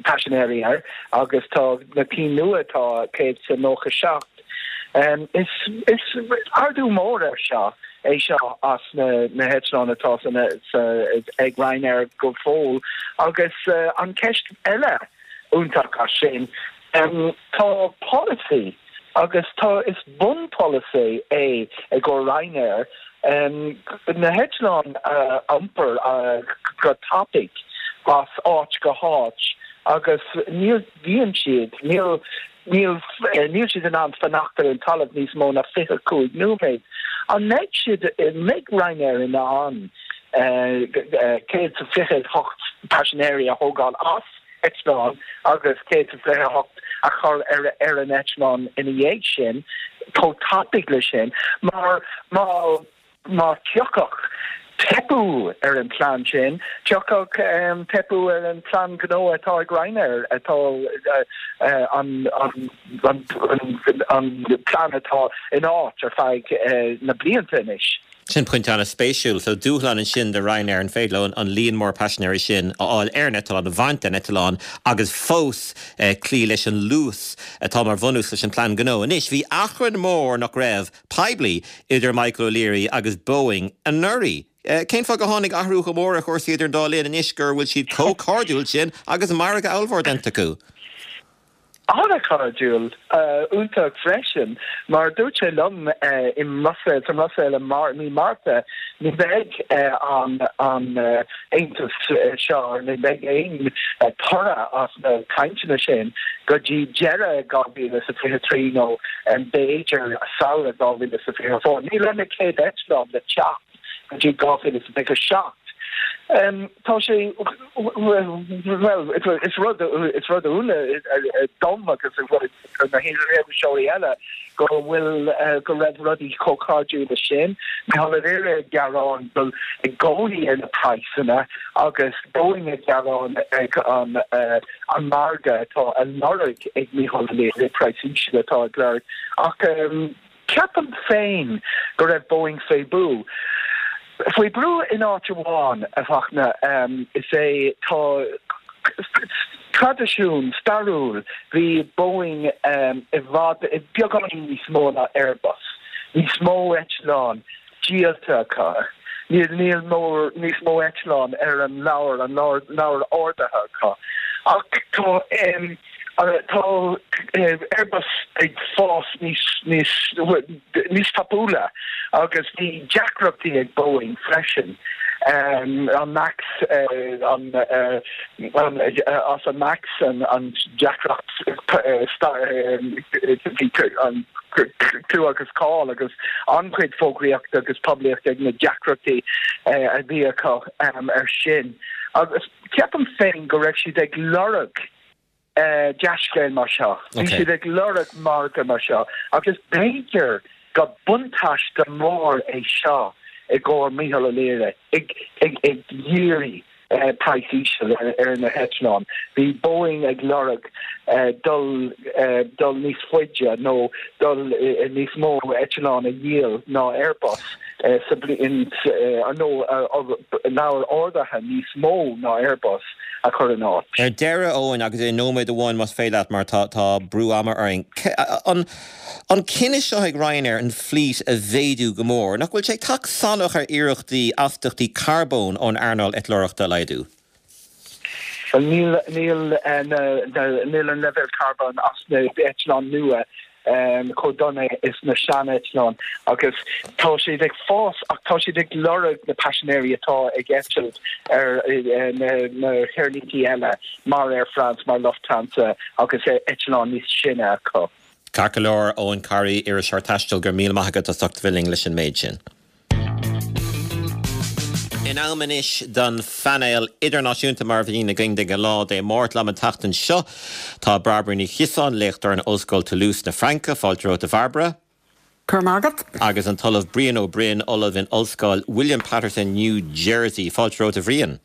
paisinéirí air agus tá na cinn nua tá 197. Is ardú mór ar seo é seo as na heitleáin atá ag Ryanair go fóill agus an ceist eile iontach as sin, tá polasaí agus tá is bunpholasaí é i gcomhair Ryanair na heitleáin a iompar go tapaidh as áit go háit agus níl bhíonn siad, níl, níl, níl siad in ann fanacht ar an talamh níos mó ná 25 nóiméad. An mbeidh siad, mbeidh Ryanair in ann 128 paisinéirí a thógáil as eitleán agus 128 a chur ar ar an eitleán ina dhiaidh sin, chomh tapaidh le sin, mar má Má thiocfadh teipeadh ar an plean sin, thiocfadh teipeadh ar an plean gnó atá ag Ryanair, atá an plean atá in áit ar feadh na blianta anois. Sin pointe an-spéisiúil. So dúshlán ansin do Ryanair, an féidir leo an líon mór paisinéirí sin a fháil ar an eitleán, a bhaint den eitleán agus fós cloí leis an luas atá mar bhunús leis an plean gnó. Anois, bhí achrann mór, nach raibh? poiblí idir Michael O'Leary agus Boeing anuraidh. Cén fáth go tháinig athrú chomh mór ar chúrsaí idir an dá linn anois gur bhfuil siad chomh cairdiúil sin agus margadh ollmhór déanta acu? An-chairdiúil, iontach freisin, mar dúirt sé liom i mBruiséil, sa mBruiséil i mí Márta, ní bheidh an aontas seo, ní bheidh aon toradh as na cainteanna sin go dtí deireadh 2023 nó b'fhéidir samhradh 2024. Níl na chéad eitleáin le teacht go dtí 2027. Tá sé, bhuel, is rud, is rud ionadh dom agus do na hiriseoirí eile go bhfuil, go raibh rudaí chomh cairdiúil leis sin. Micheál Ó Laoire ag gearán go i gcónaí ar na praghsanna agus Boeing ag gearán ag an an margadh atá á lorg ag Micheál Ó Laoire, praghas íseal atá ag lorg. Ach ceapaim féin go raibh Boeing faoi brú. Faoi brú in áit amháin, a Fhachtna, is é tá traidisiún stairiúil, bhí Boeing i bhfad, beagáinín níos mó ná Airbus, níos mó eitleán díolta acu, níl níl mór níos mó eitleán ar an leabhar, an leabhar orduithe acu. Ach tá tá Airbus ag fás níos níos níos tapúla agus bhí deacrachtaí ag Boeing freisin, an Max, an as an Max, an deacracht an clú agus cáil agus an-chuid fógraíochta agus poiblíochta ag na deacrachtaí a bhí acu ar sin. Agus ceapaim féin go raibh siad ag lorg dea-scéal mar seo. Bhí siad ag lorg margadh mar seo agus b'fhéidir go buntáiste mór é seo i gcomhair Micheál Ó Laoire ag iarraidh praghas íseal ar na heitleáin. Bhí Boeing ag lorg dul dul níos faide nó dul níos mó eitleán a dhíol ná Airbus sa bhliain nó leabhar orduithe níos mó ná Airbus a chur in áit. Ar deireadh, Eoin, agus i nóiméad amháin más féidir leat mar tá tá brú ama orainn, an an cinneadh seo ag Ryanair an flít a mhéadú go mór, nach bhfuil sé ag teacht salach ar iarrachtaí astachtaí carbóin ón earnáil eitleoireachta a laghdú? Bhuel níl níl níl an leibhéal carbóin as na eitleáin nua. Chomh dona is na sean-eitleáin agus tá siad ag fás ach tá siad ag lorg na paisinéirí atá ag eitilt ar na haerlíntí eile mar Air France, mar Lufthansa agus eitleáin níos sine acu. Ceart go leor, Eoin Corry, iriseoir taistil, go raibh míle maith agat as ucht a bheith linn leis an méid sin. In am anois don phainéal idirnáisiúnta mar a bhíonn againn de ghnáth Dé Máirt. Liom an tseachtain seo tá Bairbre Ní Chiosáin, léachtóir in Ollscoil Toulouse na Fraince. Fáilte romhat a Bhairbre. Go raibh maith agat. Agus an tOllamh Brian Ó Broin, Ollamh in Ollscoil William Paterson, New Jersey. Fáilte romhat a Bhriain.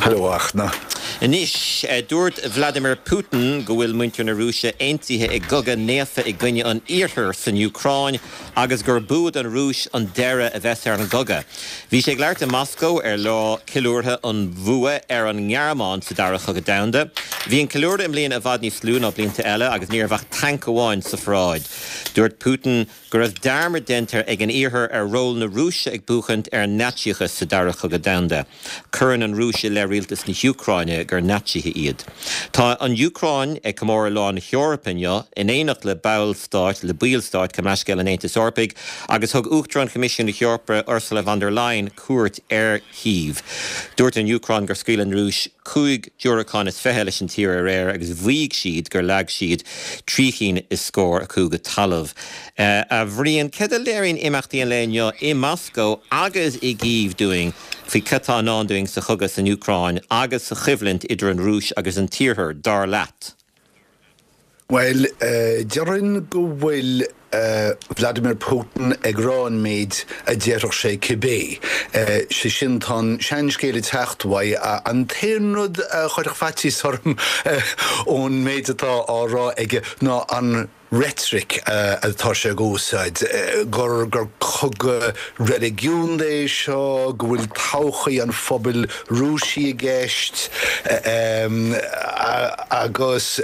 Hello a Fhachtna. Anois, dúirt Vladimir Putin go bhfuil muintir na Rúise aontaithe i gcogadh naofa i gcoinne an Iarthair san Úcráin agus gur bua don Rúis an deireadh a bheas ar an gcogadh. Bhí sé ag labhairt i Moscó ar lá ceiliúrtha an bhua ar an nGearmáin sa Dara Chogadh Domhanda. Bhí an ceiliúradh i mbliana i bhfad níos lú ná blianta eile agus ní raibh ach tanc amháin sa pharáid. Dúirt Putin go raibh dearmad déanta ag an Iarthar ar ról na Rúise ag buachaint ar an Naitsíochas sa Dara Cogadh Domhanda. Cuireann an Rúis i leith rialtas na hÚcráine gur Naitsithe iad. Tá an Úcráin ag comóradh Lá na hEorpa inniu, in éineacht le ballstáit, le baill stáit, gabh mo leithscéal, an Aontais Eorpaigh, agus thug Uachtarán Choimisiún na hEorpa, Ursula von der Leyen, cuairt ar Chív. Dúirt an Úcráin gur scaoil an Rúis 25 diúracán leis an tír aréir agus mhaígh siad gur leag siad trí chinn is scór acu go talamh. A Bhriain, céard a léiríonn imeachtaí an lae inniu i Moscó agus i gCív dúinn faoi cad tá i ndán dúinn sa chogadh san Úcráin agus sa choimhlint idir an Rúis agus an tIarthar, dar leat? Bhuel, déarfainn go bhfuil Vladimir Putin ag rá an méid a déarfadh sé cibé. Sé sin, tá an seanscéal ag teacht uaidh. An t-aon rud a chuirfeadh faitíos orm ón méid atá á rá aige ná an reitric atá sé ag úsáid, gur gur cogadh reiligiúnda é seo, go bhfuil todhchaí an phobail Rúisigh i gceist agus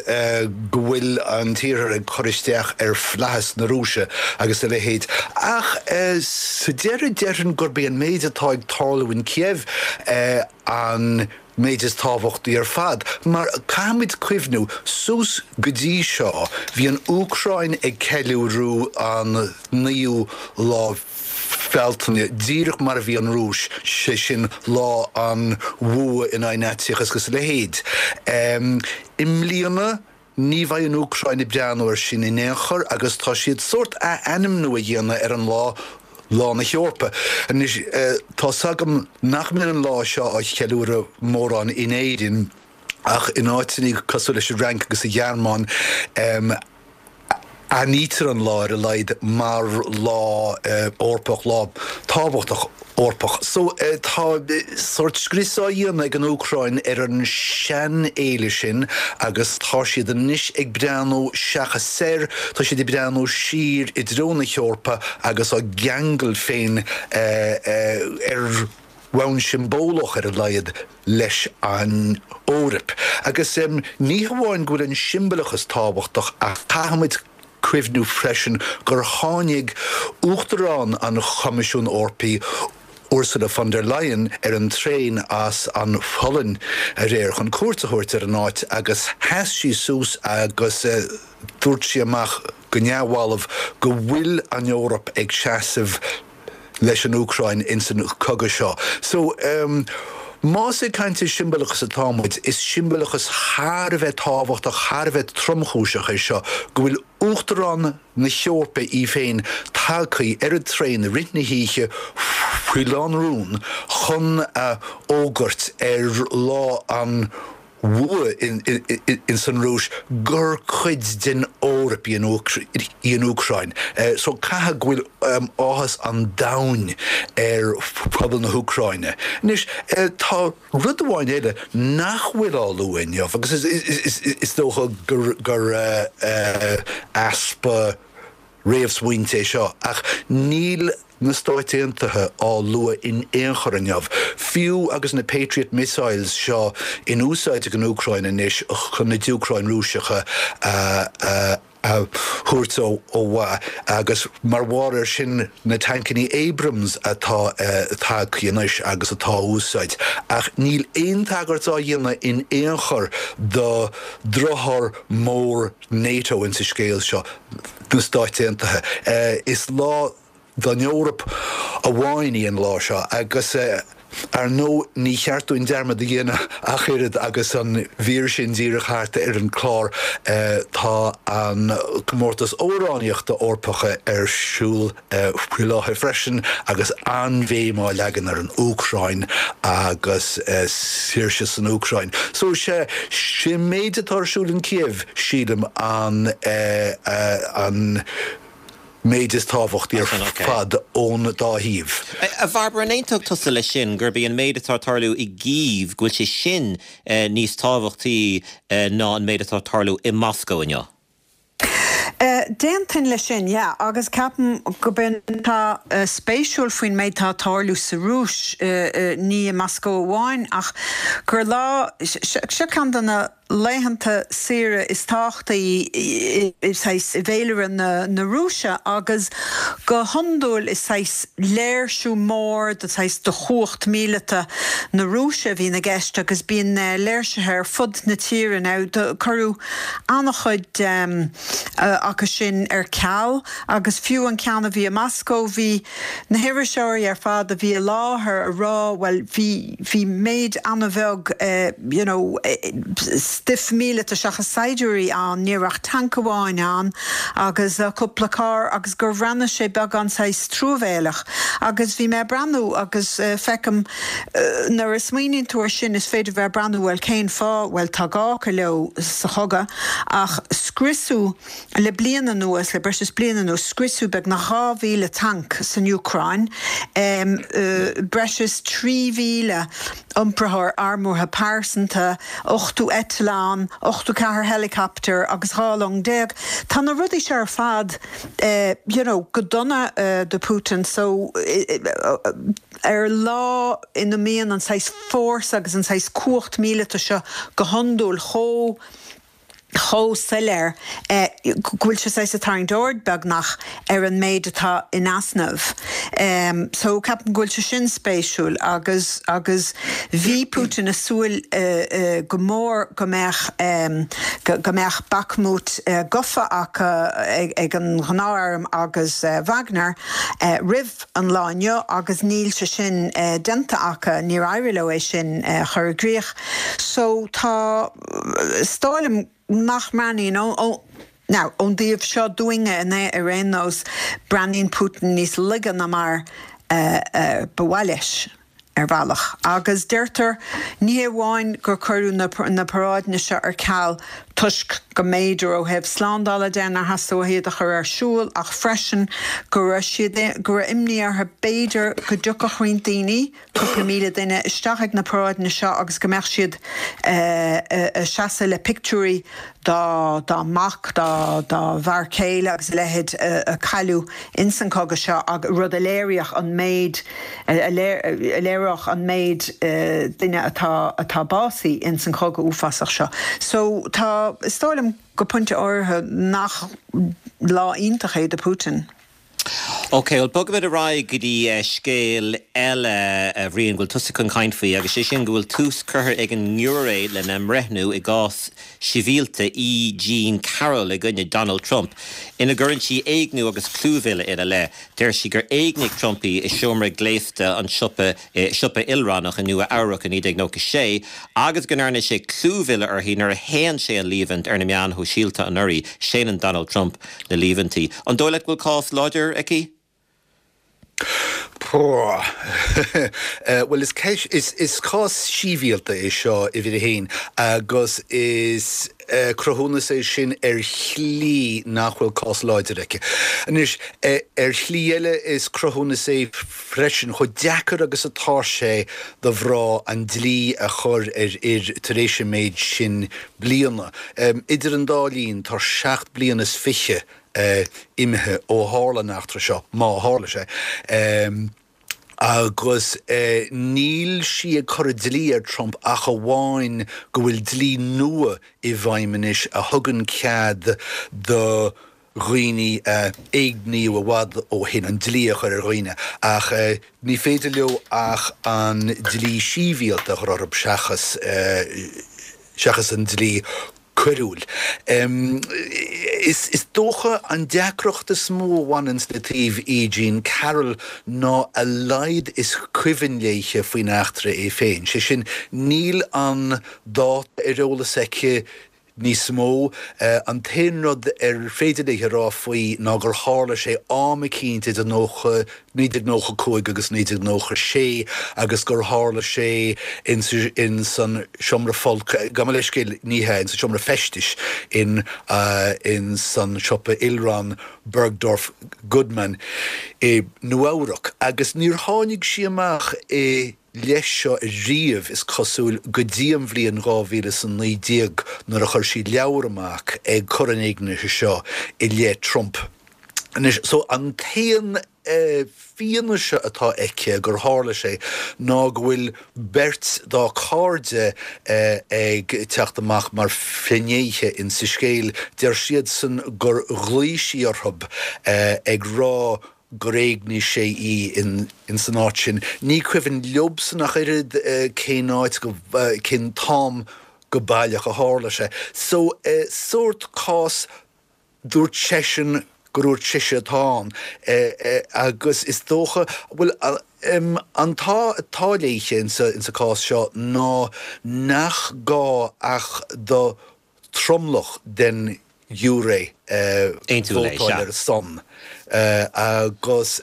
go bhfuil an tIarthar ag cur isteach ar flaitheas na Rúise agus a leithéid. Ach sa deireadh, déarfainn gurb é an méid atá ag tarlú in Kiev an méid is tábhachtaí ar fad, mar caithfimid cuimhniú, suas go dtí seo, bhí an Úcráin ag ceiliúradh an naoú lá Bealtaine, díreach mar a bhí an Rúis, sé sin lá an bhua in aghaidh Naitsíochas agus a leithéid. I mbliana, ní bheidh an Úcráin ag breathnú air sin in aon chor agus tá siad sórt ath-ainmniú a dhéanamh ar an lá, Lá na hEorpa. Anois, tá's agam nach mbíonn an lá seo á cheiliúradh mórán in Éirinn ach in áiteanna cosúil leis an Fhrainc agus an Ghearmáin, aithnítear an lá ar a laghad mar lá Eorpach, lá tábhachtach Eorpach. So tá sórt scrios á dhéanamh ag an Úcráin ar an seanfhéile sin agus tá siad anois ag breathnú seachas soir, tá siad ag breathnú siar i dtreo na hEorpa agus á gceangal féin ar bhonn siombalach ar a laghad leis an Eoraip. Agus ní hamháin go bhfuil an siombalachas tábhachtach ach caithfimid cuimhniú freisin gur tháinig Uachtarán an Choimisiúin Eorpaigh, Ursula von der Leyen, ar an traein as an Pholainn aréir chun cuairt a thabhairt ar an áit agus sheas sí suas agus dúirt sí amach go neamhbhalbh go bhfuil an Eoraip ag seasamh leis an Úcráin ins an cogadh seo. So, más ag caint ar siombalachas atá muid, is siombalachas thar a bheith tábhachtach, thar a bheith tromchúiseach é seo, go bhfuil Uachtarán na hEorpa í féin tagtha ar an traein i rith na hoíche faoi lánrún chun a fhógairt ar lá an bhua ins an Rúis gur cuid den Eoraip í an Úcráin. So caithfidh go bhfuil áthas an domhain ar phobal na hÚcráine. Anois, tá rud amháin eile nach bhfuil á lua inniu agus is dócha gur easpa réamhsmaointe é seo, ach níl na Stáit Aontaithe á lua in aon chor inniu, fiú agus na Patriot missiles seo in úsáid ag an Úcráin anois chun na diúracáin Rúiseacha a. a thabhairt ó mhaith agus mar bharr air sin na tancannaí Abrams atá tagtha anois agus atá á úsáid. Ach níl aon tagairt á dhéanamh in aon chor do driotháir mór NATO insa scéal seo, na Stáit Aontaithe. Is lá don Eoraip amháin í an lá seo agus ar ndóigh ní cheart dúinn dearmad a dhéanamh ach oiread agus an mhír sin díreach thart ar an chlár tá an comórtas amhránaíochta Eorpacha ar siúl faoi láthair freisin agus an-bhéim á leagan ar an Úcráin agus saoirse san Úcráin. So sé an méid atá ar siúl in Kiev sílim an an méid is tábhachtaí ar fad ón dá thaobh. A Bhairbre, an aontódh tusa leis sin, gurb é an méid atá ag tarlú i gCív, go bhfuil sé sin níos tábhachtaí ná an méid atá ag tarlú i Moscó inniu? D'aontóinn leis sin, yeah, agus ceapaim go b'in atá spéisiúil faoin méid atá ag tarlú sa Rúis, ní i Moscó amháin, ach gur lá, seo ceann de na laethanta saoire is tábhachtaí i saghas i bhféilire na Rúise agus go hiondúil is saghas léirsiú mór de saghas de chumhacht míleata na Rúise a bhíonn i gceist agus bíonn léirsithe ar fud na tíre. Now cuireadh an-chuid acu sin ar ceal agus fiú an ceann a bhí i Moscó bhí na hiriseoirí ar fad a bhí i láthair a rá bhuel bhí bhí méid an-bheag you know stuif míleata seachas saighdiúirí ann, ní raibh ach tanc amháin ann agus cúpla carr agus gur bhreathnaigh sé beagán saghas truamhéileach agus bhí mé ag breathnú agus feicim nuair a smaoiníonn tú ar sin is féidir bheith ag breathnú bhuel cén fáth, bhuel tá gá acu leo sa chogadh ach scriosadh Le bliain anuas, le breis is bliain anuas, scriosadh beagnach 2,000 tanc san Úcráin, breis is 3,000 iompraitheoir armúrtha pearsanta, 80 eitleán, 84 helicopter agus 12 long. Tá na rudaí seo ar fad you know go dona do Putin so ar lá ina mbíonn an saghas fórsa agus an saghas cumhacht míleata seo go hiondúil chomh chomh soiléir go bhfuil sé saghas ag tarraingt aird beagnach ar an méid atá in easnamh. So ceapaim go bhfuil sé sin spéisiúil agus agus bhí Putin ag súil go mór go mbeadh go mbeadh Bakhmut gafa acu ag an ghnáth-arm agus Wagner roimh an lá inniu agus níl sé sin déanta acu, níor éirigh leo é sin a chur i gcrích. So tá. Is dóigh liom nach mbreathnaíonn, now, ón dtaobh seo dúinne ar aon nós, breathnaíonn Putin níos laige ná mar ba mhaith leis, ar bhealach. Agus deirtear, ní hé amháin gur cuireadh na paráideanna seo ar ceal toisc go mb'fhéidir ó thaobh slándála de nár theastaigh uathu iad a chur ar siúl ach freisin go raibh siad, go raibh imní orthu b'fhéidir go dtiocfadh roinnt daoine, cúpla 1,000 duine isteach ag na paráideanna seo agus go mbeadh siad ag seasamh le pictiúirí dá dá mac, dá dá bhfear céile agus a leithéid a cailleadh ins an cogadh seo ag rud a léiríodh an méid a léireodh an méid duine atá atá básaithe ins an chogadh uafásach seo. So tá, is dóigh liom go pointe áirithe nach lá iontach é do Putin. Ok, bhuel bogfaimid ar aghaidh go dtí scéal eile, a Bhriain, go bhfuil tusa chun caint faoi, agus sé sin go bhfuil tús curtha ag an ngiúiré lena mbreithniú i gcás sibhialta E. Jean Carroll i gcoinne Donald Trump, ina gcuireann sí éigniú agus clúmhilleadh ina leith. Deir sí gur éignigh Trump í i seomra gléasta an tsiopa i siopa ilrannach i Nua Eabhrac i 1996 agus go ndearna sé clúmhilleadh uirthi nuair a shéan sé an líomhaint ar na meáin shóisialta anuraidh. Séanann Donald Trump na líomhaintí. An dóigh leat go bhfuil cás láidir aici? Bhuel, is ceist, is cás sibhialta é seo, uimhir a haon, agus is cruthúnas é sin ar shlí nach bhfuil cás láidir aici. Anois, ar shlí eile, is cruthúnas é freisin chomh deacair agus atá sé do mhná an dlí a chur ar fhir tar éis an méid sin bliana. Idir an dá linn, tá seacht bliana is fiche imithe ó tharla an eachtra seo, má tharla sé. Agus níl sí ag cur an dlí ar Trump ach amháin go bhfuil dlí nua i bhfeidhm anois a thugann cead do dhaoine a éigníodh i bhfad ó shin an dlí a chur ar dhaoine. Ach ní féidir leo ach an dlí síbhialta a chur orthu seachas seachas an dlí coiriúil. Is dócha an deacracht is mó a bhaineanns le taobh E. Jean Carroll ná a laghad is cuimhin léithe faoin eachtra é féin. Sé sin, níl an dáta ar eolas aici níos mó. An t-aon rud ar féidir léi a rá faoi ná gur tharla sé am eicínt idir 1995 agus 1996 agus gur tharla sé ins an seomra folctha, gabh mo leithscéal, ní hea, ins an seomra feistis in ins an siopa ilrann Bergdorf Goodman i Nua-Eabhrac agus níor tháinig sí amach i leith seo riamh, is cosúil, go dtí an bhliain 2019 nuair a chuir sí leabhar amach ag cur an éignithe seo i leith Trump. Anois, so an t-aon fianaise atá aici gur tharla sé ná go bhfuil beirt dá cairde ag teacht amach mar finnéithe insa scéal. Deir siadsan gur ghlaoigh sí orthu ag rá gur éignigh sé í ins an áit sin. Ní cuimhin leobsan ach oiread cén áit, cén t-am go baileach a tharla sé. So, sórt cás Dúirt seisean gur dhúirt sise atá ann agus is dócha, bhuel, an t-ádh atá léithe insa cás seo ná nach gá ach do tromlach den ghiúiré vótáil ar a son. Agus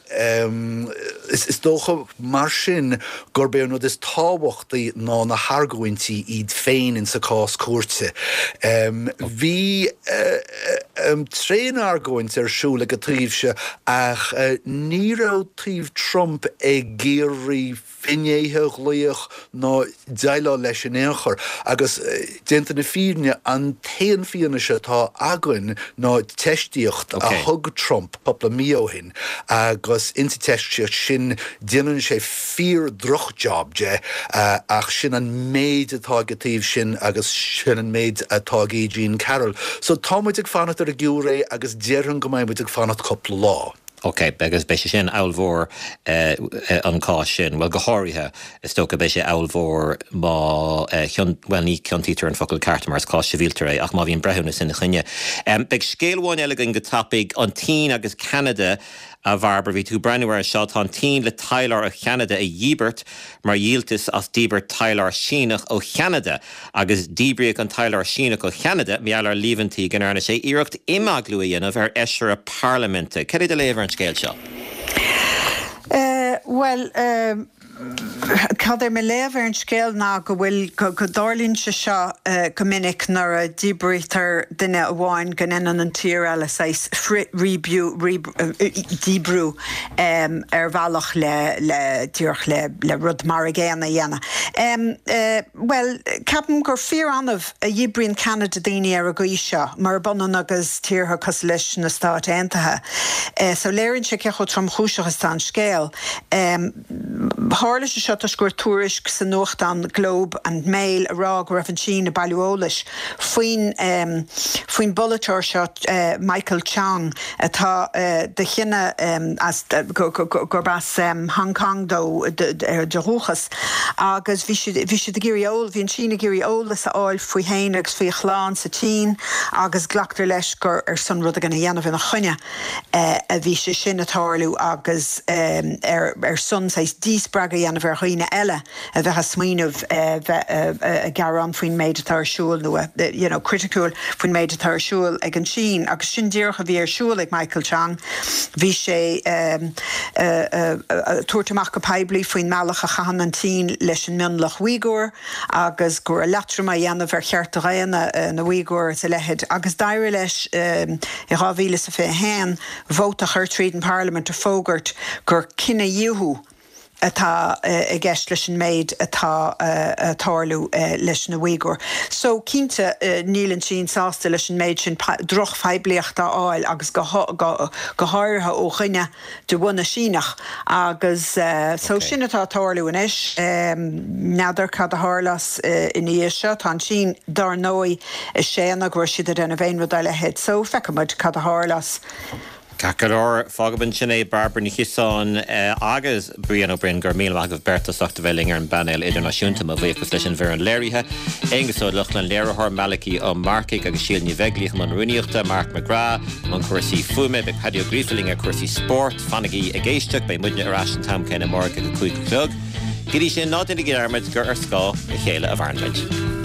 is dócha mar sin gurb é an rud is tábhachtaí ná na hargóintí iad féin insa cás cúirte. Bhí tréan-argóint ar siúl ag an taobh seo ach ní raibh taobh Trump ag iarraidh finnéithe a ghlaoch ná déileáil leis in aon chor. Agus, déanta na fírinne, an t-aon fianaise atá againn ná teistíocht a thug Trump cúpla mí ó shin agus insa teistíocht sin déanann sé fíor-droch-job de ach sin an méid atá ag an taobh sin agus sin an méid atá ag E. Jean Carroll. So tá muid ag fanacht ar an giúiré agus déarfainn go mbeidh muid ag fanacht cúpla lá. Ok, agus beidh sé sin ábhalmhór an cás sin, bhuel go háirithe is dócha beidh sé ábhalmhór má chion, bhuel ní ciontaítear an focal ceart mar is cás sibhialta é ach má bhíonn breithiúnas ina choinne. Beidh scéal amháin eile againn go tapaidh, an tSín agus Ceanada, a Bhairbre, bhí tú ag breathnú air seo, tá an tSín le taidhleoir ó Cheanada a dhíbirt mar dhíoltas as díbirt taidhleoir Síneach ó Cheanada. Agus díbríodh an taidhleoir Síneach ó Cheanada mar gheall ar líomhaintí go ndearna sé iarracht imeaglú a dhéanamh ar fheisire parlaiminte. Cad é do léamh ar an scéal seo? Bhuel, cad é mo léamh ar an scéal ná go bhfuil, go dtarlaíonn sé seo go minic nuair a díbrítear duine amháin go ndéanann an tír eile saghas frith-dhíbriú, díbriú ar bhealach le, le, díreach le, le rud mar a gcéanna a dhéanamh. Bhuel, ceapaim gur fíor-annamh a dhíbríonn Ceanada daoine ar an gcaoi seo, murab ionann agus tíortha cosúil leis na Stáit Aontaithe. So léiríonn sé cé chomh tromchúiseach is atá an scéal. Tharla sé seo toisc go raibh tuairisc sa nuachtán Globe and Mail ag rá go raibh an tSín ag bailiú eolais faoin faoin bpolaiteoir seo Michael Chong atá de chine as gurb as Hong Kong dó de dhúchas agus bhí siad bhí siad ag iarraidh eol bhí an tSín ag iarraidh eolas a fháil faoi fhéin agus faoi a chlann sa tSín agus glactar leis gur ar son rud éigin a dhéanamh ina choinne a bhí sé sin ag tarlú agus ar ar son saghas díspreagadh a dhéanamh ar dhaoine eile. a bheith ag smaoineamh bheith ag gearán faoin méid atá ar siúl nó you know criticiúil faoin méid atá ar siúl ag an tSín agus sin díreach a bhí ar siúl ag Michael Chong. Bhí sé ag tabhairt amach go poiblí faoin mbealach a chaitheann an tSín leis an mionlach Uighur agus go raibh leatrom á dhéanamh ar chearta daonna na Uighur is a leithéid agus d'éirigh leis i 2021 vóta a chur tríd an bparlaimint ag fógairt gur cinedhíothú. Atá i gceist leis an méid atá ag tarlú leis na Uighur. So, cinnte, níl an tSín sásta leis an méid sin drochphoiblíocht a fháil agus go háirithe ó dhuine de bhunadh Síneach. Agus so, sin atá ag tarlú anois. N'fheadar cad a tharlós ina dhiaidh seo. Tá an tSín, dár ndóigh, ag séanadh go raibh siad ag déanamh aon rud dá leithéid. So, feicfidh muid cad a tharlós. Ceart go leor, fágfaidh ansin é, Bairbre Ní Chiosáin agus Brian Ó Broin, go raibh míle maith agaibh beirt as ucht a bheith linn ar an bpainéal idirnáisiúnta. Mo bhuíochas leis an bhfoireann léirithe, Aonghus Ó Lochlainn, léiritheoir, Malachy Ó Marcaigh agus Síle Ní Bheaglaoich i mbun rúnaíochta, Mark McGrath i mbun cúrsaí fuaime, beidh Paddy Ó Gríofa linn ar chúrsaí spóirt. Fanaigí ag éisteacht, beidh muidne ar ais an t-am céanna amárach ag a 5 a chlog. Go dtí sin, ná déanaigí dearmad gur ar scáth a chéile a mhaireann muid.